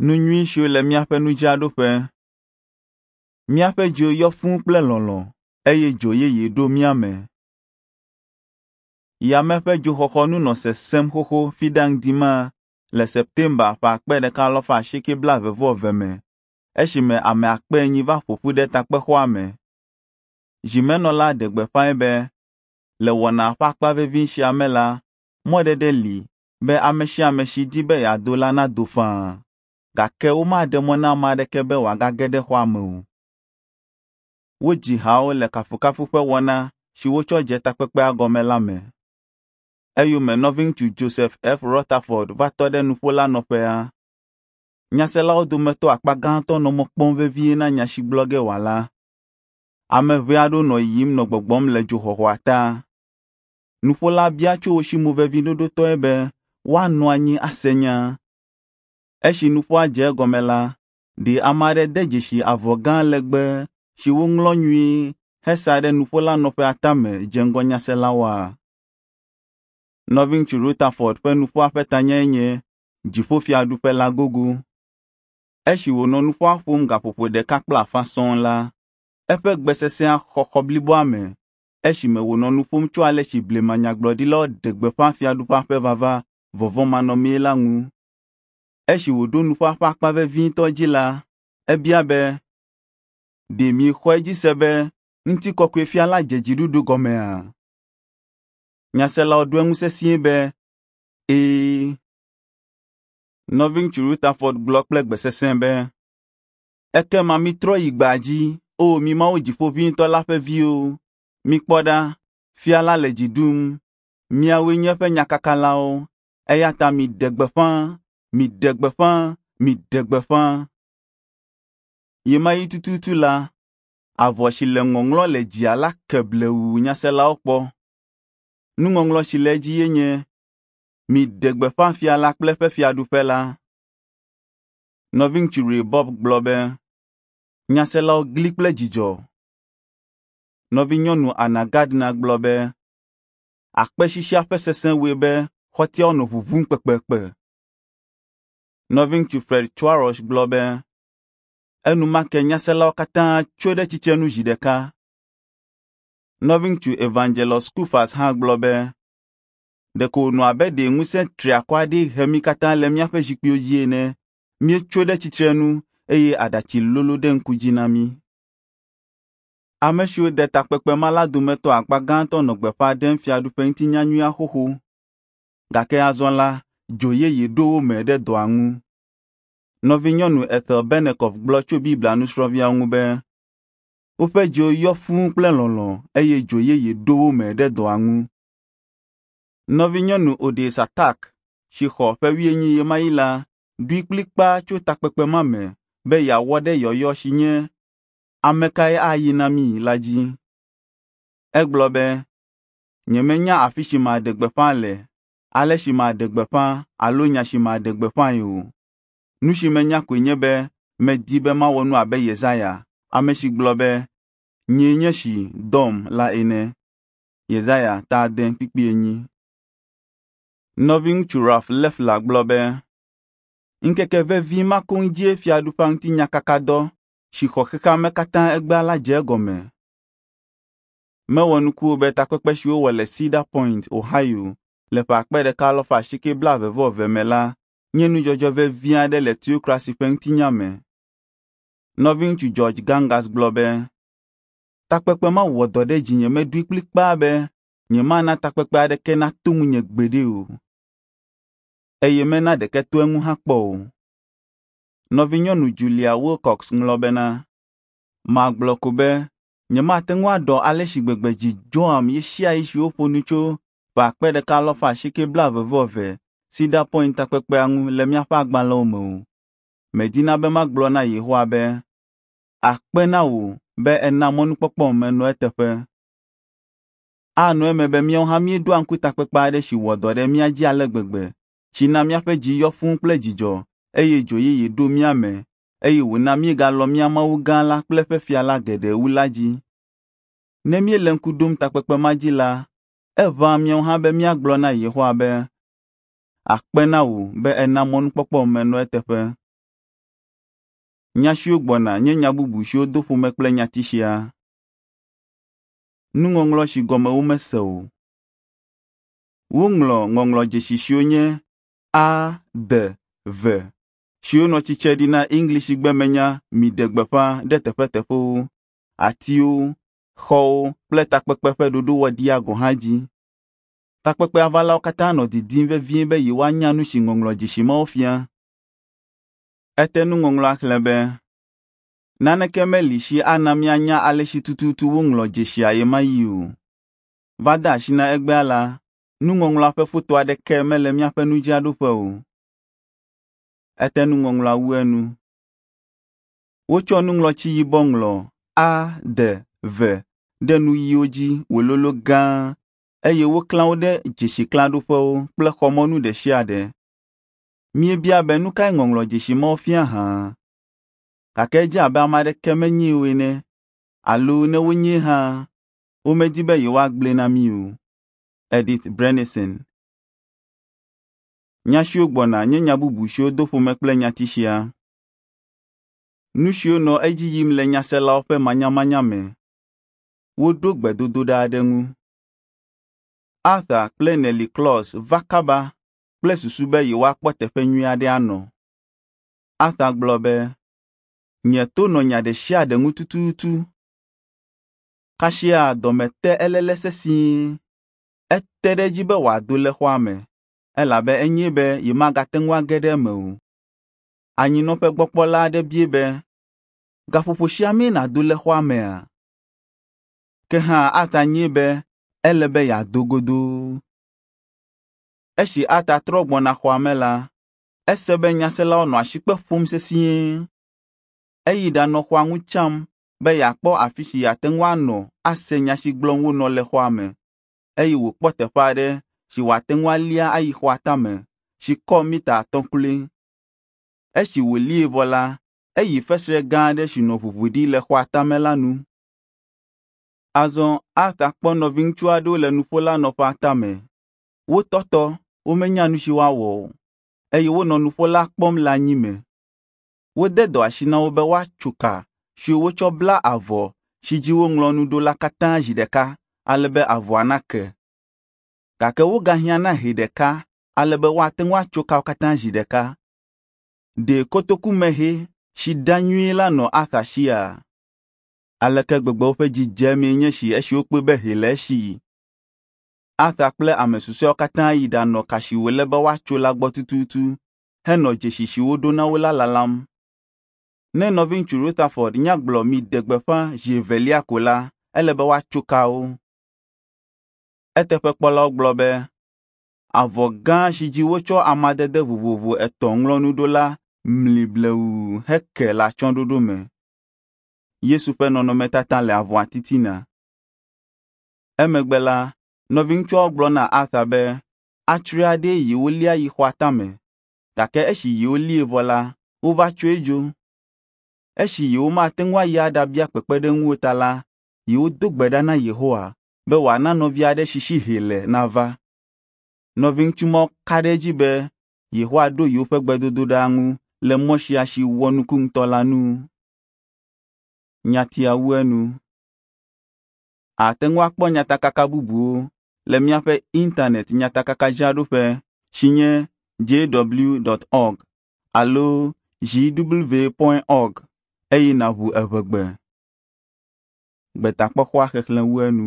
Nu nyui siwo le míaƒe nudzraɖoƒe. Míaƒe dziwo yɔ fũu kple lɔlɔ̃ eye dzo yeye ɖo mía me. Yame ƒe dzoxɔxɔ nu nɔ sesẽm xoxo Fiɖa ŋdi ma le Septemba ƒe 1822 me esime ame 40 va ƒo ƒu ɖe takpexɔa me. Zimenɔla ɖe gbeƒãe be le wɔna ƒe akpa vevi sia me la, mɔɖeɖe li be ame sia ame si di be yeado la nado faa, gake womaɖe mɔ na ame aɖeke be wòagage ɖe xɔa me o. Wodzi hawo le kafukafu ƒe wɔna si wotsɔ dze takpekpea gɔme la me. Eyome nɔviŋutsu Joseph F. Rutherford va tɔ ɖe nuƒolanɔƒea. Nyaselawo dometɔ akpa gãtɔ nɔ mɔ kpɔm vevie na nya si gblɔ ge wòala. Ame ʋɛ aɖewo nɔ yiyim nɔ gbɔgbɔm le dzoxɔxɔa ta. Nuƒola bia tso wo si moveviɖoɖotɔe be woanɔ anyi ase nya. Esi nuƒoa dze egɔme la, ɖe ame aɖe de dzesi avɔ gã legbe si woŋlɔ nyuie hesa ɖe nuƒolanɔƒea tame dze ŋgɔ nyaselawoa? Nɔviŋutsu Rutherford ƒe nuƒoa ƒe tanyae nye Dziƒofiaɖuƒe la gogo. Esi wònɔ nuƒoa ƒom gaƒoƒo ɖeka kple afã sɔŋ la, eƒe gbe sesẽa xɔ xɔ bliboa me esime wònɔ nu ƒom tso ale si blema nyagblɔɖilawo ɖe gbeƒã Fiaɖuƒea ƒe vava vɔvɔ̃manɔmee la ŋu. Esi wòɖo nuƒoa ƒe akpa vevitɔ dzi la, ebia be, “Ɖe miexɔe dzi se be ŋutikɔkɔefia la dze dziɖuɖu gɔmea?” Nyaselawo ɖo eŋu sesĩe be, “Ɛ̃.” Nɔviŋutsu Rutherford gblɔ kple gbe sesẽ be, “Ekema mitrɔ yi gbea dzi, O mi Mawu Dziƒoʋĩtɔ la ƒe viwo. Mikpɔ ɖa, fia la le dzi ɖum. Miawoe nye eƒe nyakakalawo, eya ta miɖe gbeƒã, miɖe gbeƒã, miɖe gbeƒã.” Ɣemaɣi tututu la, avɔ si le ŋɔŋlɔ le dzia la ke blewu nyaselawo kpɔ. Nuŋɔŋlɔ si le edzi ye nye, “Miɖe gbeƒã fia la kple eƒe fiaɖuƒe la.” Nɔviŋutsu Ray Bopp gblɔ be, nyaselawo gli kple dzidzɔ. Nɔvinyɔnu Anna Gardner gblɔ be, akpesisia ƒe sesẽ wɔe be xɔtiawo nɔ ʋuʋum kpekpekpe. Nɔviŋutsu Fred Twarosh gblɔ be, enumake nyaselawo katã tso ɖe tsitrenu zi ɖeka. Nɔviŋutsu Evangelos Scouffas hã gblɔ be, ɖeko wònɔ abe ɖe ŋusẽ triakɔ aɖee he mí katã le míaƒe zikpuiwo dzi ene. Míetso ɖe tsitrenu eye aɖatsi lolo ɖe ŋku dzi na mí. Ame siwo de takpekpe ma la dometɔ akpa gãtɔ nɔ gbeƒã ɖem Fiaɖuƒe ŋuti nyanyuia xoxo. Gake azɔ la, dzo yeye ɖo wo me ɖe dɔa ŋu. Nɔvinyɔnu Ethel Bennecoff gblɔ tso Biblia nusrɔ̃viawo ŋu be, woƒe dziwo yɔ fũu kple lɔlɔ̃ eye dzo yeye ɖo wo me ɖe dɔa ŋu. Nɔvinyɔnu Odessa Tak, si xɔ ƒe 40 ɣemaɣi la, ɖoe kplikpaa tso takpekpe ma me be yeawɔ ɖe yɔyɔ si nye “Ame kae ayi na mí?” la dzi. Egblɔ be, “Nyemenya afi si maɖe gbeƒã le, ale si maɖe gbeƒã alo nya si maɖe gbeƒãe o. Nu si menya koe nye be medi be mawɔ nu abe Yesaya, ame si gblɔ be, ‘Nyee nye esi, dɔm’ la ene.” Yesaya ta 6:4. Nɔviŋutsu Ralph Leffler gblɔ be, ŋkeke vevi ma koŋ dzie Fiaɖuƒea ŋuti nyakakadɔ si xɔ xexea me katã egbea la dze egɔme. Mewɔ nuku o be takpekpe si wowɔ le Cedar Point, Ohio le ƒe 1822 me la nye nudzɔdzɔ vevi aɖe le teokrasi ƒe ŋutinya me. Nɔviŋutsu George Gangas gblɔ be, takpekpe ma wɔ dɔ ɖe dzinye meɖoe kplikpaa be nyemana takpekpe aɖeke nato ŋunye gbeɖe o, eye mena ɖeke to eŋu hã kpɔ o. Nɔvinyɔnu Julia Wilcox ŋlɔ bena, magblɔ ko be nyemate ŋu aɖɔ ale si gbegbe dzi dzɔam ɣesiaɣi si woƒo nu tso ƒe 1822 Cedar Point takpekpea ŋu le míaƒe agbalẽwo me o. Medina be magblɔ na Yehowa be, akpe na wò be èna mɔnukpɔkpɔm menɔ eteƒe. Anɔ eme be míawo hã míeɖoa ŋku takpekpe aɖe si wɔ dɔ ɖe mía dzi ale gbegbe, si na míaƒe dzi yɔ fũu kple dzidzɔ eye dzo yeye ɖo mía me eye wòna míegalɔ̃ mía Mawu gã la kple eƒe fia la geɖe wu la dzi. Ne míele ŋku ɖom takpekpe ma dzi la, eʋãa míawo hã be míagblɔ na Yehowa be, akpe na wò be èna mɔnukpɔkpɔm menɔ eteƒe. Nya siwo gbɔna nye nya bubu siwo do ƒome kple nyati sia. Nuŋɔŋlɔ si gɔme womese o. Woŋlɔ ŋɔŋlɔdzesi siwo nye A, D, V siwo nɔ tsitre ɖi na Eŋlisigbe me nya miɖe gbeƒã ɖe teƒeteƒewo, atiwo, xɔwo kple takpekpe ƒe ɖoɖowɔɖia gɔ̃ hã dzi. Takpekpea valawo katã nɔ didim vevie be yewoanya nu si ŋɔŋlɔdzesi mawo fia. Ete nuŋɔŋlɔa xlẽ be, Naneke meli si ana míanya ale si tututu woŋlɔ dzesia ɣemaɣi o. Va de asi na egbea la, nuŋɔŋlɔa ƒe foto aɖeke mele míaƒe nudzraɖoƒe o. Ete nuŋɔŋlɔa wu enu. Wotsɔ nuŋlɔtsi yibɔ ŋlɔ A D V ɖe nu ɣiwo dzi wòlolo gãa eye woklã wo ɖe dzesiklãɖoƒewo kple xɔmɔnu ɖe sia ɖe. Míebia be nu kae ŋɔŋlɔdzesi mawo fia hã. Gake edze abe ame aɖeke menyee o ene alo ne wonyee hã, womedi be yewoagblɔe na mí o. Edith Brenisen. Nya siwo gbɔna nye nya bubu siwo do ƒome kple nyati sia. Nu siwo nɔ edzi yim le nyaselawo ƒe manyamanya me. Woɖo gbedodoɖa aɖe ŋu. Arthur kple Nellie Claus va kaba kple susu be yewoakpɔ teƒe nyui aɖe anɔ. Arthur gblɔ be, Nye to nɔ nya ɖe sia ɖe ŋu tututu. Kasia dɔme te eléle sesĩe. Ete ɖe edzi be wòado le xɔa me elabe enyae be yemagate ŋu age ɖe eme o. Anyinɔƒegbɔkpɔla aɖe biae be, gaƒoƒo sia mee nàdo le xɔa mea? Ke hã Arthur nyae be ele be yeado godoo. Esi Arthur trɔ gbɔna xɔa me la, ese be nyaselawo nɔ asikpe ƒom sesĩe. Eyi ɖanɔ xɔa ŋu tsam be yeakpɔ afi si yeate ŋu anɔ ase nya si gblɔm wonɔ le xɔa me eye wòkpɔ teƒe aɖe si wòate ŋu alia ayi xɔa tame si kɔ mita atɔ̃ kloe. Esi wòlie vɔ la, eyi fesre gã aɖe si nɔ ʋuʋu ɖi le xɔa tame la nu. Azɔ Arthur kpɔ nɔviŋutsu aɖewo le nuƒolanɔƒea tame. Wotɔtɔ, womenya nu si woawɔ o, eye wonɔ nuƒola kpɔm le anyime. Wode dɔ asi na wo be woatso ka siwo wotsɔ bla avɔ si dzi woŋlɔ nu ɖo la katã zi ɖeka ale be avɔa nake. Gake wogahiã na hɛ ɖeka ale be woate ŋu atso kawo katã zi ɖeka. Ɖe kotokumehɛ si ɖa nyuie la nɔ Arthur sia? Aleke gbegbe woƒe dzi dze emee nye esi esi wokpɔe be hɛ le esi. Arthur kple ame susɔeawo katã yi ɖanɔ ka si wòle be woatso la gbɔ tututu henɔ dzesi si woɖo na wo la lalam. Ne nɔviŋutsu Rutherford nya gblɔ miɖe gbeƒã zi evelia ko la, ele be woatso kawo. Eteƒekpɔlawo gblɔ be avɔ gã si dzi wotsɔ amadede vovovo etɔ̃ ŋlɔ nu ɖo la mli blewuu heke le atsyɔ̃ɖoɖo me. Yesu ƒe nɔnɔmetata le avɔa titina. Emegbe la, nɔviŋutsuawo gblɔ na Arthur be atsri aɖee yewolia yi xɔa tame, gake esi yewolie vɔ la, wova tsoe dzo. Esi yewomate ŋu ayi aɖabia kpekpeɖeŋu o ta la, yewodo gbe ɖa na Yehowa be wòana nɔvi aɖe si si hɛ le nava. Nɔviŋutsu mawo ka ɖe edzi be Yehowa ɖo yewoƒe gbedodoɖa ŋu le mɔ sia si wɔ nuku ŋutɔ la nu. Nyatia wu enu. Àte ŋu akpɔ nyatakaka bubuwo le míaƒe Internet nyatakakadzraɖoƒe si nye jw.org alo jw.org eye nàʋu Eʋegbe. Gbetakpɔxɔa xexlẽ wu enu.